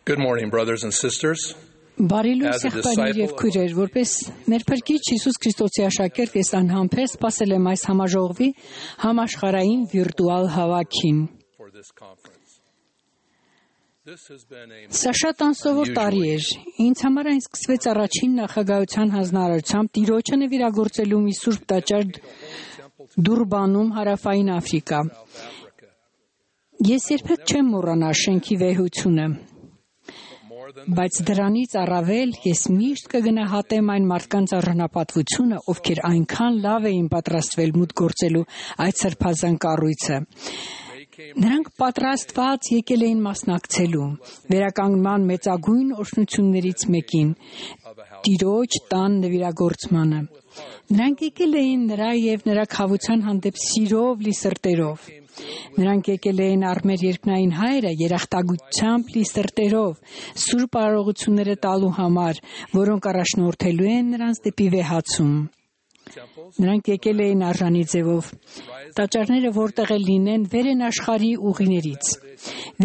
Good morning, brothers and sisters. Բարի լույս եղբայրներ եւ քույրեր, որպես մեր Փրկիչ Հիսուս Քրիստոսի աշակերտ ես անհամբեր սպասել եմ այս համաժողովի համաշխարհային վիրտուալ հավաքին։ Սա շատ անսովոր տարի էր։ Ինձ համար այն սկսվեց առաջին նախագահության հանձնարարությամբ Տիրոջը նվիրագործելու մի սուրբ տաճար Դուրբանում, Հարավային Աֆրիկա։ Ես երբեք չեմ մոռանա շենքի վեհությունը։ Բայց դրանից առավել ես միշտ կգնահատեմ այն մարդկանց առանապատվությունը, ովքեր այնքան լավ էին պատրաստվել մուտք գործելու այդ սրբազան կառույցը։ Նրանք պատրաստված եկել էին մասնակցելու վերականգնման մեծագույն օրհնություններից մեկին՝ Տիրոջ տան նվիրագործմանը։ Նրանք եկել էին նրա եւ նրա քավության հանդեպ սիրով լի սրտերով։ Նրանք եկել էին առ մեր երկնային Հայրը երախտագիտությամբ լի սրտերով, սուրբ արարողությունները տալու համար, որոնք առաջնորդելու են նրանց դեպի վեհացում։ Նրանք եկել էին արժանի ձևով։ Տաճարները որտեղ էլ լինեն, վեր են աշխարհի ուղիներից։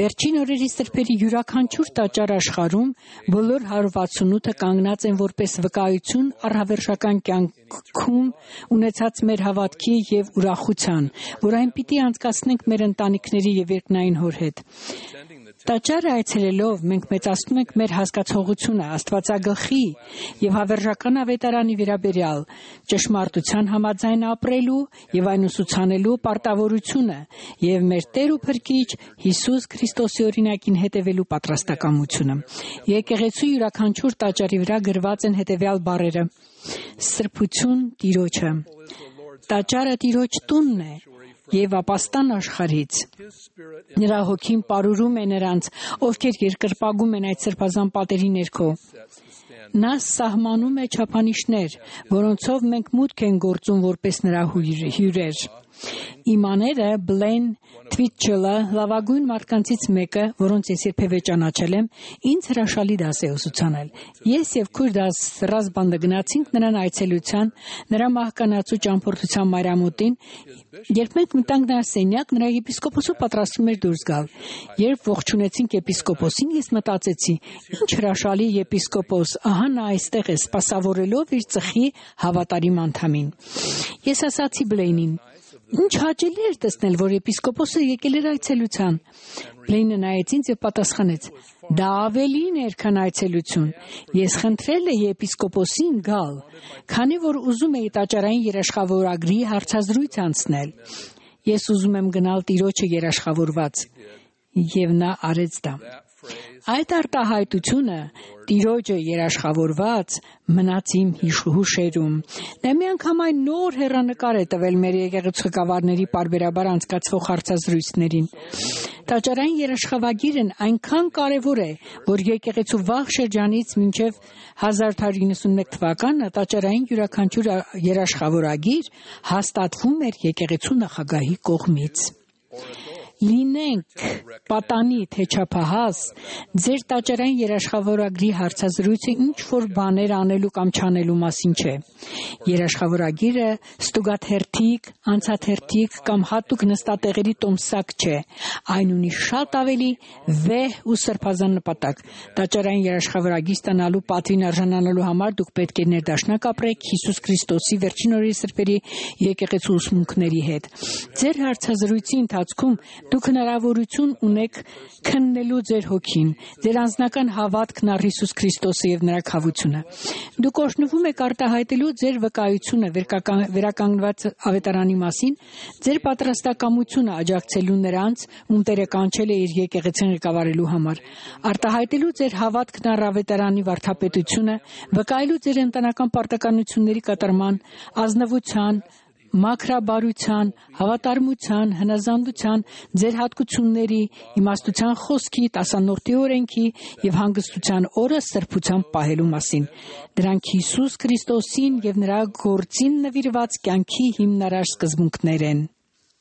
Վերջին օրերի սրբերի յուրաքանչյուր տաճար աշխարհում բոլոր 168-ը կանգնած են որպես վկայություն առհավերժական կյանքում ունեցած մեր հավատքի եւ ուրախության, որ այն պիտի անցկացնենք մեր ընտանիքների եւ երկնային Հոր հետ։ Տաճարը այցելելով մենք մեծացնում ենք մեր հասկացողությունը Աստվածագլխի եւ հավերժական ավետարանի վերաբերյալ, ճշմարտության համաձայն ապրելու եւ այն ուսուցանելու պարտավորությունը եւ մեր Տեր ու Փրկիչ Հիսուս Քրիստոսի օրինակին հետևելու պատրաստակամությունը։ Եկեղեցու յուրաքանչյուր տաճարի վրա գրված են հետևյալ բառերը. Սրբություն Տիրոջը։ Տաճարը Տիրոջ տունն է եւ ապաստան աշխարհից։ Նրա հոգին պարուրում է նրանց, ովքեր երկրպագում են այդ սրբազան պատերի ներքո։ Նա սահմանում է չափանիշներ, որոնցով մենք մուտք են գործում որպես նրա հյուրեր։ Իմ աները Բլեն Թվիթչելը լավագույն մարդկանցից մեկը, որոնց ես երբևէ ճանաչել եմ, ինձ հրաշալի դաս է ուսուցանել։ Ես եւ քույր Ռազբանդը գնացինք նրան այցելության, նրա մահկանացու ճամփորդության մայրամուտին, երբ մենք մտանք նրա սենյակ, նրա եպիսկոպոսը պատրաստվում էր դուրս գալ։ Երբ ողջունեցինք եպիսկոպոսին, ես մտածեցի. ինչ հրաշալի եպիսկոպոս, ահա նա այստեղ է սպասավորելով իր ծխի հավատարիմ անդամին։ Ես ասացի Բլեյնին. Ինչ հաճելի էր տեսնել, որ եպիսկոպոսը եկել էր այցելության։ Բլեյնը նայեց ինձ եւ պատասխանեց. դա ավելին էր, քան այցելություն։ Ես խնդրել էի եպիսկոպոսին գալ, քանի որ ուզում էի տաճարային երաշխավորագրի հարցազրույց անցնել։ Ես ուզում եմ գնալ Տիրոջը երաշխավորված։ Եվ նա արեց դա։ Այդ արտահայտությունը Տիրոջը երաշխավորված մնաց իմ հուշերում։ Նա մի անգամ այն նոր հեռանկար է տվել մեր եկեղեցու ղեկավարների պարբերաբար անցկացվող հարցազրույցներին։ Տաճարային երաշխավորագիրն այնքան կարևոր է, որ եկեղեցու վաղ շրջանից մինչև 1891 թվականը տաճարային յուրաքանչյուր երաշխավորագիր հաստատվում էր եկեղեցու նախագահի կողմից։ Լինենք պատանի թե չափահաս, ձեր տաճարային երաշխավորագրի հարցազրույցը ինչ որ բաներ անելու կամ չանելու մասին չէ։ Երաշխավորագիրը ստուգաթերթիկ, անցաթերթիկ կամ հատուկ նստատեղերի տոմսակ չէ։ Այն ունի շատ ավելի վեհ ու սրբազան նպատակ։ Տաճարային երաշխավորագիր ստանալու պատվին արժանանալու համար դուք պետք է ներդաշնակ ապրեք Հիսուս Քրիստոսի վերջին օրերի սրբերի եկեղեցու ուսմունքների հետ։ Ձեր հարցազրույցի ընթացքում դուք հնարավորություն ունեք քննելու ձեր հոգին, ձեր անձնական հավատքն առ Հիսուս Քրիստոսը եւ նրա քավությունը։ Դուք օրհնվում եք արտահայտելու ձեր վկայությունը վերականգնված ավետարանի մասին, ձեր պատրաստակամությունը աջակցելու նրանց, ում Տերը կանչել է իր եկեղեցին ղեկավարելու համար, արտահայտելու ձեր հավատքն առ ավետարանի վարդապետությունը, վկայելու ձեր ընտանեկան պարտականությունների կատարման, ազնվության, մաքրաբարության, հավատարմության, հնազանդության, ձեր հատկությունների, իմաստության խոսքի, տասանորդի օրենքի եւ հանգստության օրը սրբության պահելու մասին։ Դրանք Հիսուս Քրիստոսին եւ նրա գործին նվիրված կյանքի հիմնարար սկզբունքներ են։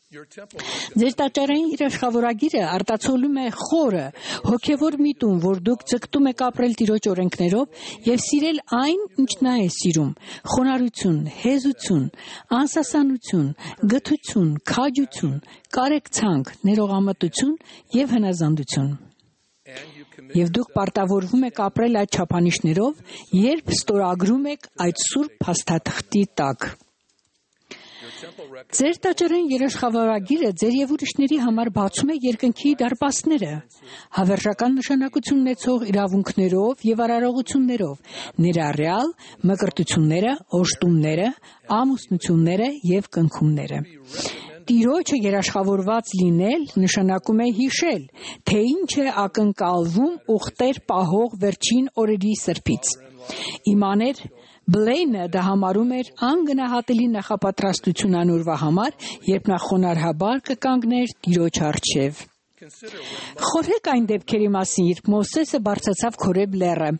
Ձեր տաճարային երաշխավորագիրը արտացոլում է խորը, հոգևոր միտում, որ դուք ձգտում եք ապրել Տիրոջ օրենքներով եւ սիրել այն, ինչ նա է սիրում՝ խոնարհություն, հեզություն, անսասանություն, գթություն, քաջություն, կարեկցանք, ներողամտություն եւ հնազանդություն։ Եվ դուք պարտավորվում եք ապրել այդ չափանիշներով, երբ ստորագրում եք այդ սուրբ փաստաթղթի տակ։ Ձեր տաճարային երաշխավորագիրը ձեր և ուրիշների համար բացում է երկնքի դարպասները, հավերժական նշանակություն ունեցող իրավունքներով և արարողություններով, ներառյալ մկրտությունները, օժտումները, ամուսնությունները և կնքումները։ Տիրոջը երաշխավորված լինել նշանակում է հիշել, թե ինչ է ակնկալվում ուխտեր պահող վերջին օրերի սրբից։ Իմաներ Բլեյնը դա համարում էր անգնահատելի նախապատրաստություն անորվա համար, երբ նա խոնարհաբար կկանգներ Տիրոջ առջև։ Խորհեք այն դեպքերի մասին, երբ Մովսեսը բարձրացավ Քորեբ լեռը,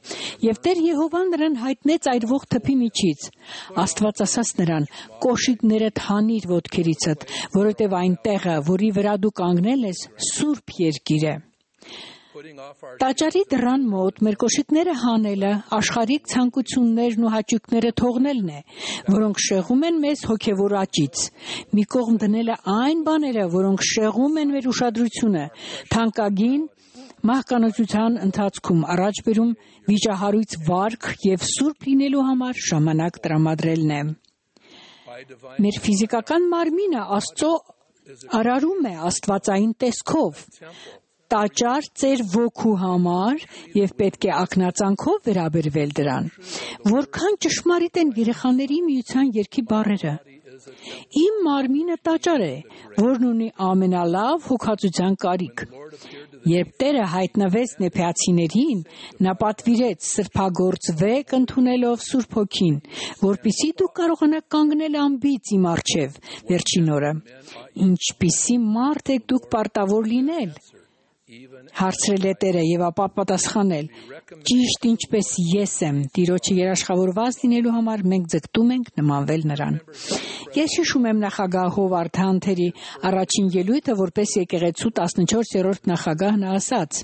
և Տեր Եհովան նրան հայտնեց այրվող թփի միջից։ Աստված ասաց նրան. «Կոշիկներդ հանիր ոտքերիցդ, որովհետև այն տեղը, որի վրա դու կանգնել ես, սուրբ երկիր է»։ Տաճարի դռան մոտ մեր կոշիկները հանելը աշխարհիկ ցանկություններն ու հաճույքները թողնելն է, որոնք շեղում են մեզ հոգևոր աճից։ Մի կողմ դնելը այն բաները, որոնք շեղում են մեր ուշադրությունը, թանկագին մահկանացության ընթացքում առաջ բերում վիճահարույց վարք և սուրբ լինելու համար ժամանակ տրամադրելն է։ Մեր ֆիզիկական մարմինը Աստծո արարում է աստվածային տեսքով։ Տաճար ծեր ոգու համար և պետք է ակնածանքով վերաբերվել դրան։ Որքան ճշմարիտ են երեխաների միության երգի բառերը։ Իմ մարմինը տաճար է, որն ունի ամենալավ հոգածության կարիք։ Երբ Տերը հայտնվեց նեփեացիներին, նա պատվիրեց սրբագործվեք ընդունելով Սուրբ Հոգին, որպեսզի դուք կարողանաք կանգնել անբիծ իմ առջև վերջին օրը։ Ինչպիսի մարդ եք դուք պարտավոր լինել։ Հարցրել է Տերը և ապա պատասխանել. ճիշտ ինչպես ես եմ, Տիրոջը երաշխավորված լինելու համար մենք ձգտում ենք նմանվել նրան։ Ես հիշում եմ նախագահ Հովարդ Հանթերի առաջին ելույթը որպես եկեղեցու 14-րդ նախագահ նա ասաց.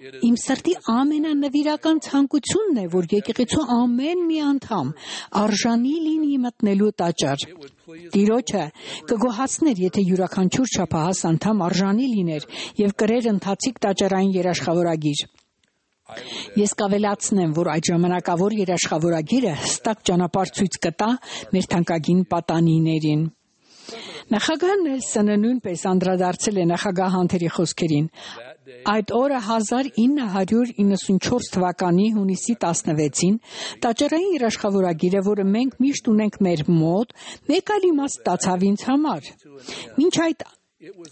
Իմ սրտի ամենանվիրական ցանկությունն է, որ եկեղեցու ամեն մի անդամ արժանի լինի մտնելու տաճար։ Տիրոջը կգոհացներ, եթե յուրաքանչյուր չափահաս անդամ արժանի լիներ և կրեր ընթացիկ տաճարային երաշխավորագիր։ Ես կավելացնեմ, որ այդ ժամանակավոր երաշխավորագիրը հստակ ճանապարհ ցույց կտա մեր թանկագին պատանիներին։ Նախագահ Նելսոնը նույնպես անդրադարձել է նախագահ Հանթերի խոսքերին։ Այդ օրը 1994 թվականի հունիսի 16-ին տաճարային երաշխավորագիրը, որը մենք միշտ ունենք մեր մոտ, մեկ այլ իմաստ ստացավ ինձ համար։ Մինչ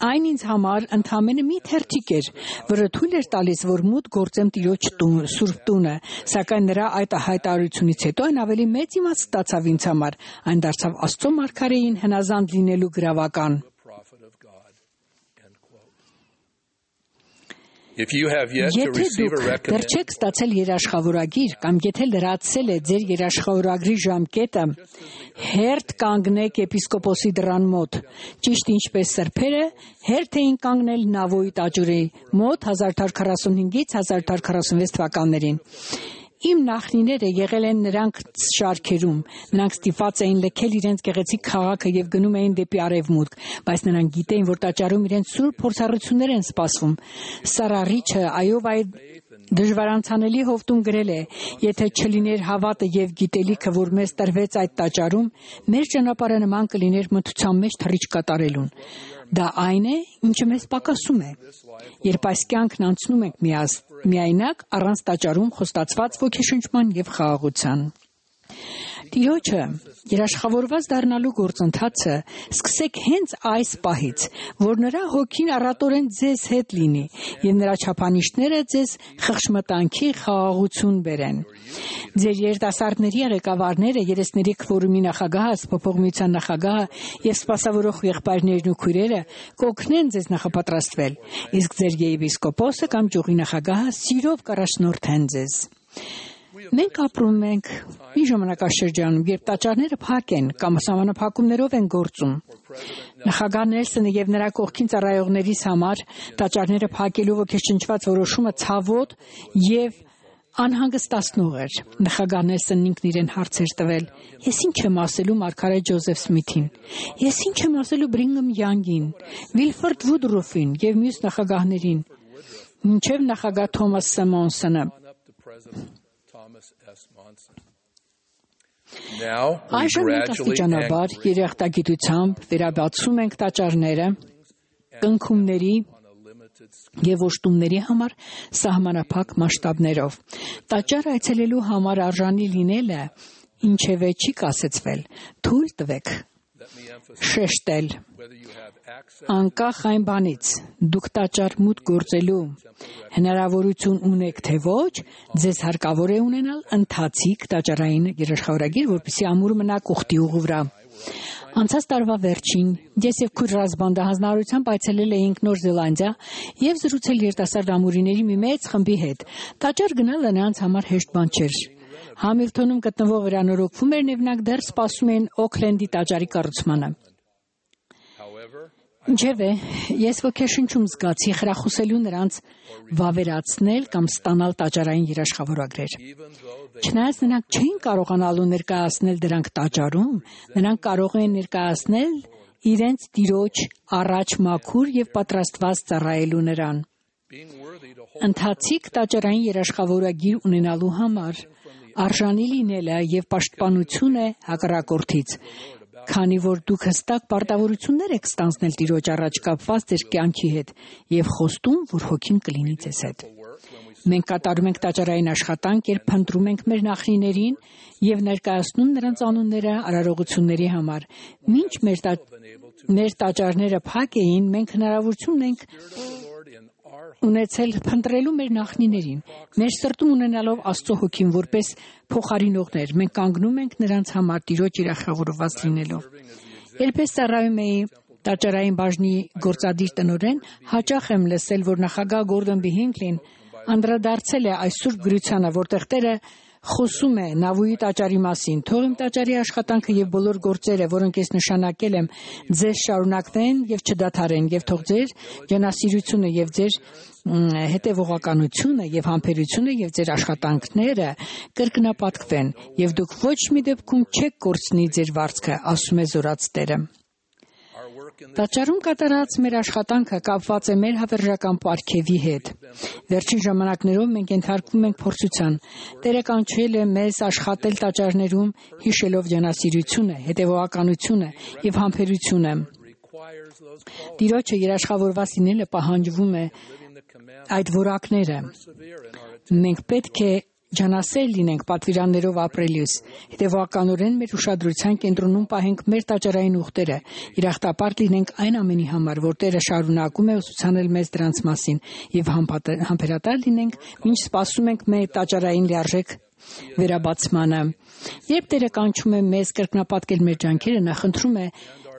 այն ինձ համար ընդամենը մի թերթիկ էր, որը թույլ էր տալիս, որ մուտք գործեմ Տիրոջ Սուրբ տունը, սակայն նրա այդ հայտարարությունից հետո այն ավելի մեծ իմաստ ստացավ ինձ համար, այն դարձավ Աստծո մարգարեին հնազանդ լինելու գրավական։ Եթե դուք դեռ չեք ստացել երաշխավորագիր կամ եթե լրացել է ձեր երաշխավորագրի ժամկետը, հերթ կանգնեք եպիսկոպոսի դռան մոտ, ճիշտ ինչպես սրբերը հերթ էին կանգնել Նավոյի տաճարի մոտ 1845-ից 1846 թվականներին։ Իմ նախնիները եղել են նրանք շարքերում, նրանք ստիպված էին լքել իրենց գեղեցիկ քաղաքը և գնում էին դեպի արևմուտք, բայց նրանք գիտեին, որ տաճարում իրենց սուրբ փորձառություններ են սպասվում։ Սարա Ռիչը այով այդ դժվարանցանելի հովտում գրել է. Եթե չլիներ հավատը և գիտելիքը, որ մեզ տրվեց այդ տաճարում, մեր ճանապարհը նման կլիներ մթության մեջ թռիչք կատարելուն։ Դա այն է, ինչը մեզ պակասում է։ Երբ այս կյանքն անցնում ենք միայնակ, առանց տաճարում խոստացված ոգեշնչման և խաղաղության։ Տիրոջը երաշխավորված դառնալու գործընթացը սկսեք հենց այս պահից, որ նրա հոգին առատորեն ձեզ հետ լինի և նրա չափանիշները ձեզ խղճմտանքի խաղաղություն բերեն։ Ձեր երիտասարդների ղեկավարները, երեսների քվորումի նախագահը, Սփոփող միության նախագահը և սպասավորող եղբայրներն ու քույրերը կօգնեն ձեզ նախապատրաստվել, իսկ ձեր եպիսկոպոսը կամ ճյուղի նախագահը սիրով կառաջնորդեն ձեզ։ Մենք ապրում ենք մի ժամանակաշրջանում, երբ տաճարները փակ են կամ սահմանափակումներով են գործում։ Նախագահ Նելսոնը և նրա կողքին ծառայողներիս համար տաճարները փակելու ոգեշնչված որոշումը ցավոտ և անհանգստացնող էր։ Նախագահ Նելսոնն ինքն իրեն հարց էր տվել. Ես ինչ եմ ասելու մարգարե Ջոզեֆ Սմիթին։ Ես ինչ եմ ասելու Բրինգհամ Յանգին, Վիլֆորդ Վուդրոֆին և մյուս նախագահներին։ մինչև նախագահ Թոմաս Սեմոնսոնը։ Այժմ մենք աստիճանաբար երախտագիտությամբ վերաբացում ենք տաճարները, կնքումների և ոշտումների համար սահմանափակ մասշտաբներով։ Տաճար այցելելու համար արժանի լինելը ինչևէ չի կասեցվել։ Թույլ տվեք շեշտել, անկախ այն բանից, դուք տաճար մուտք գործելու հնարավորություն ունեք թե ոչ, ձեզ հարկավոր է ունենալ ընթացիկ տաճարային երաշխավորագիր, որպեսզի ամուր մնաք ուխտի ուղու վրա։ Անցած տարվա վերջին ես եւ քույր Ռազբանդը հանձնարարությամբ այցելել էինք Նոր Զելանդիա եւ զրուցել երիտասարդ ամուրիների մի մեծ խմբի հետ։ Տաճար գնալը նրանց համար հեշտ բան չէր։ Համիլթոնում գտնվող վերանորոգվում էր, եւ նրանք դեռ սպասում էին Օքլենդի տաճարի կառուցմանը։ Ինչևէ, ես ոգեշնչում զգացի խրախուսելու նրանց վավերացնել կամ ստանալ տաճարային երաշխավորագրեր։ Չնայած նրանք չէին կարողանալու ներկայացնել դրանք տաճարում, նրանք կարող էին ներկայացնել իրենց տիրոջ առաջ մաքուր եւ պատրաստված ծառայելու նրան։ Ընթացիկ տաճարային երաշխավորագիր ունենալու համար արժանի լինելը եւ պաշտպանություն է հակառակորդից, քանի որ դուք հստակ պարտավորություններ եք ստանձնել Տիրոջ առաջ կապված ձեր կյանքի հետ եւ խոստում, որ հոգին կլինի ձեզ հետ։ Մենք կատարում ենք տաճարային աշխատանք, երբ փնտրում ենք մեր նախնիներին եւ ներկայացնում նրանց անունները արարողությունների համար։ Մինչ մեր տաճարները փակ էին, մենք հնարավորություն ունենք ունեցել փնտրելու մեր նախնիներին։ Մեր սրտում ունենալով Աստծո հոգին որպես փոխարինողներ, մենք կանգնում ենք նրանց համար Տիրոջ երախավորված լինելով։ Երբ ես ծառայում էի տաճարային բաժնի գործադիր տնօրեն, հաճախ եմ լսել, որ նախագահ Գորդոն B. Հինքլին անդրադարձել է այս սուրբ գրությանը, որտեղ Տերը խոսում է Նավուի տաճարի մասին։ Թող իմ տաճարի աշխատանքը եւ բոլոր գործերը, որոնք ես նշանակել եմ, ձեզ շարունակվեն եւ չդադարեն, եւ թող ձեր ջանասիրությունը եւ ձեր հետևողականությունը եւ համբերությունը եւ ձեր աշխատանքները կրկնապատկվեն, եւ դուք ոչ մի դեպքում չեք կորցնի ձեր վարձքը, ասում է զորաց Տերը։ Տաճարում կատարած մեր աշխատանքը կապված է մեր հավերժական պարգևի հետ։ Վերջին ժամանակներով մենք ենթարկվում ենք փորձության։ Տերը կանչել է մեզ աշխատել տաճարներում, հիշելով ջանասիրությունը, հետևողականությունը եւ համբերությունը։ Տիրոջը երաշխավորված լինելը պահանջվում է այդ որակները։ Մենք պետք է ջանասեր լինենք պատվիրաններով ապրելիս, հետևողականորեն մեր ուշադրության կենտրոնում պահենք մեր տաճարային ուխտերը, երախտապարտ լինենք այն ամենի համար, որ Տերը շարունակում է ուսուցանել մեզ դրանց մասին, եւ համբերատար լինենք, մինչ սպասում ենք մեր տաճարային լիարժեք վերաբացմանը։ Երբ Տերը կանչում է մեզ կրկնապատկել մեր ջանքերը, նա խնդրում է,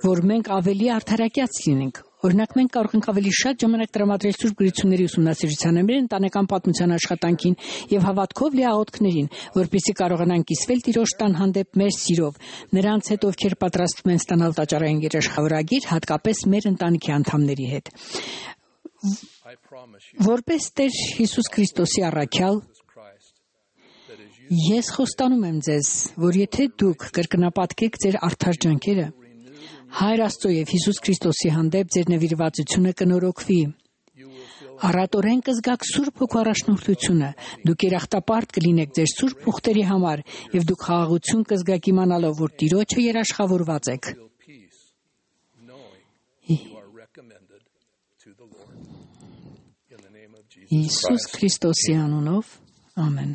որ մենք ավելի արդարակյաց լինենք։ Օրինակ, մենք կարող ենք ավելի շատ ժամանակ տրամադրել Սուրբ Գրությունների ուսումնասիրությանը, մեր ընտանեկան պատմության աշխատանքին եւ հավատքով լի աղոթքներին, որպեսզի կարողանանք կիսվել Տիրոջ տան հանդեպ մեր սիրով, նրանց հետ, ովքեր պատրաստվում են ստանալ տաճարային երաշխավորագիր, հատկապես մեր ընտանիքի անդամների հետ։ Որպես Տեր Հիսուս Քրիստոսի առաքյալ, ես խոստանում եմ ձեզ, որ եթե դուք կրկնապատկեք ձեր արդար ջանքերը, Հայր Աստծո եւ Հիսուս Քրիստոսի հանդեպ ձեր նվիրվածությունը կնորոգվի։ Առատորեն կզգաք Սուրբ Հոգու առաջնորդությունը, դուք երախտապարտ կլինեք ձեր սուրբ ուխտերի համար եւ դուք խաղաղություն կզգաք իմանալով, որ Տիրոջը երաշխավորված եք։ Հիսուս Քրիստոսի անունով, ամեն։